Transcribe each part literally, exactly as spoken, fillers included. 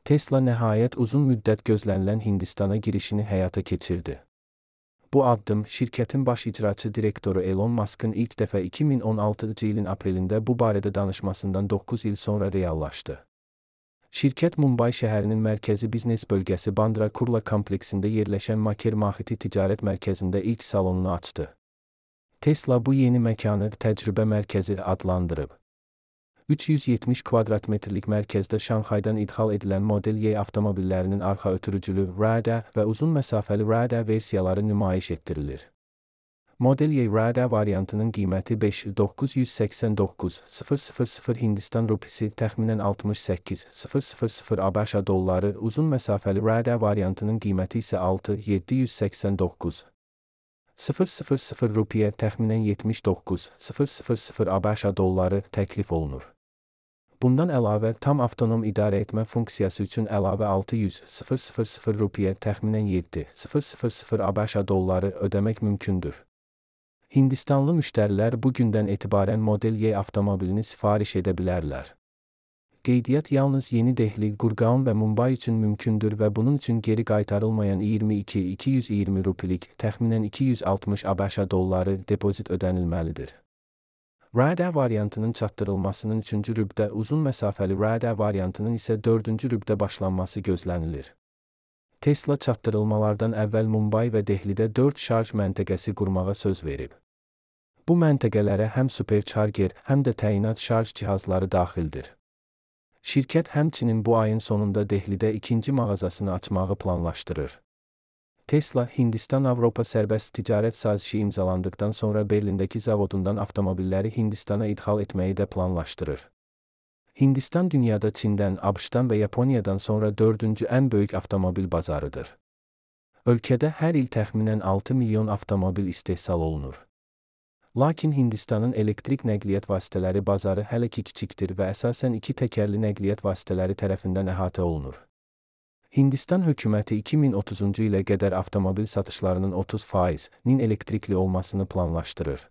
Tesla nəhayət uzun müddət gözlənilən Hindistana girişini həyata keçirdi. Bu addım şirkətin baş icraçı direktoru Elon Musk'ın ilk dəfə iki min on altıncı ilin aprelində bu barədə danışmasından doqquz il sonra reallaşdı. Şirkət Mumbay şəhərinin mərkəzi biznes bölgəsi Bandra Kurla kompleksində yerləşən Maker Mahiti ticarət mərkəzində ilk salonunu açdı. Tesla bu yeni məkanı təcrübə mərkəzi adlandırıb. üç yüz yetmiş kvadrat metrlik mərkəzdə Şanxaydan idxal edilən Model Y avtomobillərinin arxa ötürücülü Rada və uzun məsafəli Rada versiyaları nümayiş etdirilir. Model Y Rada variantının qiyməti beş min doqquz yüz səksən doqquz min Hindistan rupisi təxminən altmış səkkiz min ABŞ dolları, uzun məsafəli Rada variantının qiyməti isə altı min yeddi yüz səksən doqquz min rupiyə təxminən yetmiş doqquz min ABŞ dolları təklif olunur. Bundan əlavə, tam avtonom idarə etmə funksiyası üçün əlavə altı yüz min rupiyə təxminən yeddi min ABŞ dolları ödəmək mümkündür. Hindistanlı müştərilər bu gündən etibarən Model Y avtomobilini sifariş edə bilərlər. Qeydiyyat yalnız Yeni Dehli, Gurgaon və Mumbai üçün mümkündür və bunun üçün geri qaytarılmayan iyirmi iki min iki yüz iyirmi rupilik, təxminən iki yüz altmış ABŞ dolları depozit ödənilməlidir. Rada variantının çatdırılmasının üçüncü rübdə, uzun məsafəli Rada variantının isə dördüncü rübdə başlanması gözlənilir. Tesla çatdırılmalardan əvvəl Mumbai və Dehlidə dörd şarj məntəqəsi qurmağa söz verib. Bu məntəqələrə həm supercharger, həm də təyinat şarj cihazları daxildir. Şirkət həmçinin bu ayın sonunda Dehlidə ikinci mağazasını açmağı planlaşdırır. Tesla, Hindistan-Avropa sərbəst ticarət sazişi imzalandıqdan sonra Berlindəki zavodundan avtomobilləri Hindistana idxal etməyi də planlaşdırır. Hindistan dünyada Çindən, ABŞ-dan və Yaponiyadan sonra dördüncü ən böyük avtomobil bazarıdır. Ölkədə hər il təxminən altı milyon avtomobil istehsal olunur. Lakin Hindistanın elektrik nəqliyyat vasitələri bazarı hələ ki kiçikdir və əsasən iki təkərli nəqliyyat vasitələri tərəfindən əhatə olunur. Hindistan hökuməti iki min otuzuncu ilə qədər avtomobil satışlarının otuz faizinin elektrikli olmasını planlaşdırır.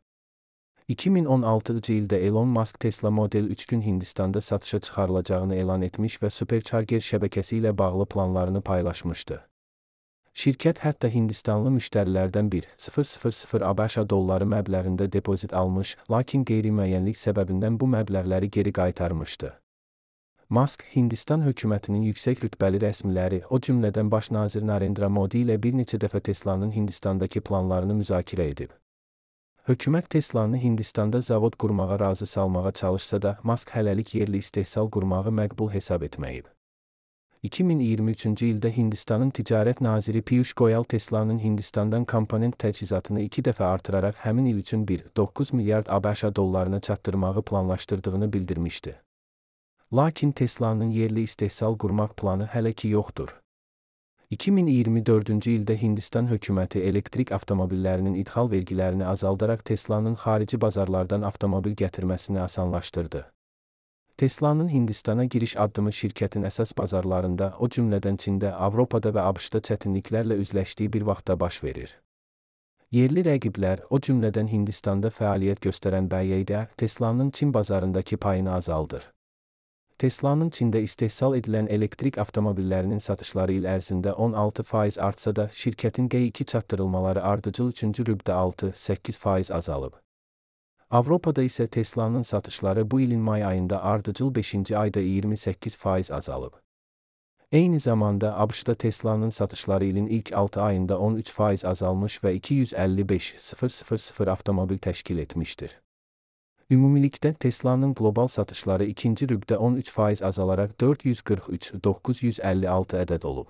iki min on altıncı ildə Elon Musk Tesla Model üç gün Hindistanda satışa çıxarılacağını elan etmiş və supercharger şəbəkəsi ilə bağlı planlarını paylaşmışdı. Şirkət hətta Hindistanlı müştərilərdən bir min ABŞ dolları məbləğində depozit almış, lakin qeyri-müəyyənlik səbəbindən bu məbləğləri geri qaytarmışdı. Musk, Hindistan hökumətinin yüksək rütbəli rəsmiləri, o cümlədən baş nazir Narendra Modi ilə bir neçə dəfə Teslanın Hindistandakı planlarını müzakirə edib. Hökumət Teslanı Hindistanda zavod qurmağa razı salmağa çalışsa da, Musk hələlik yerli istehsal qurmağı məqbul hesab etməyib. iki min iyirmi üçüncü ildə Hindistanın ticarət naziri Piyush Goyal Teslanın Hindistandan komponent təchizatını iki dəfə artıraraq həmin il üçün bir nöqtə doqquz milyard ABŞ dollarına çatdırmağı planlaşdırdığını bildirmişdi. Lakin Teslanın yerli istehsal qurmaq planı hələ ki yoxdur. iki min iyirmi dördüncü ildə Hindistan hökuməti elektrik avtomobillərinin idxal vergilərini azaldaraq Teslanın xarici bazarlardan avtomobil gətirməsini asanlaşdırdı. Teslanın Hindistana giriş addımı şirkətin əsas bazarlarında, o cümlədən Çində, Avropada və ABŞ-da çətinliklərlə üzləşdiyi bir vaxtda baş verir. Yerli rəqiblər, o cümlədən Hindistanda fəaliyyət göstərən B Y D, Teslanın Çin bazarındakı payını azaldır. Teslanın Çində istehsal edilən elektrik avtomobillərinin satışları il ərzində on altı faiz artsa da, şirkətin G iki çatdırılmaları ardıcıl üçüncü rübdə altı səkkiz faiz azalıb. Avropada isə Teslanın satışları bu ilin may ayında ardıcıl beşinci ayda iyirmi səkkiz faiz azalıb. Eyni zamanda ABŞ-da Teslanın satışları ilin ilk altı ayında on üç faiz azalmış və iki yüz əlli beş min avtomobil təşkil etmişdir. Ümumilikdə Teslanın qlobal satışları ikinci rübdə on üç faiz azalaraq dörd yüz qırx üç min doqquz yüz əlli altı ədəd olub.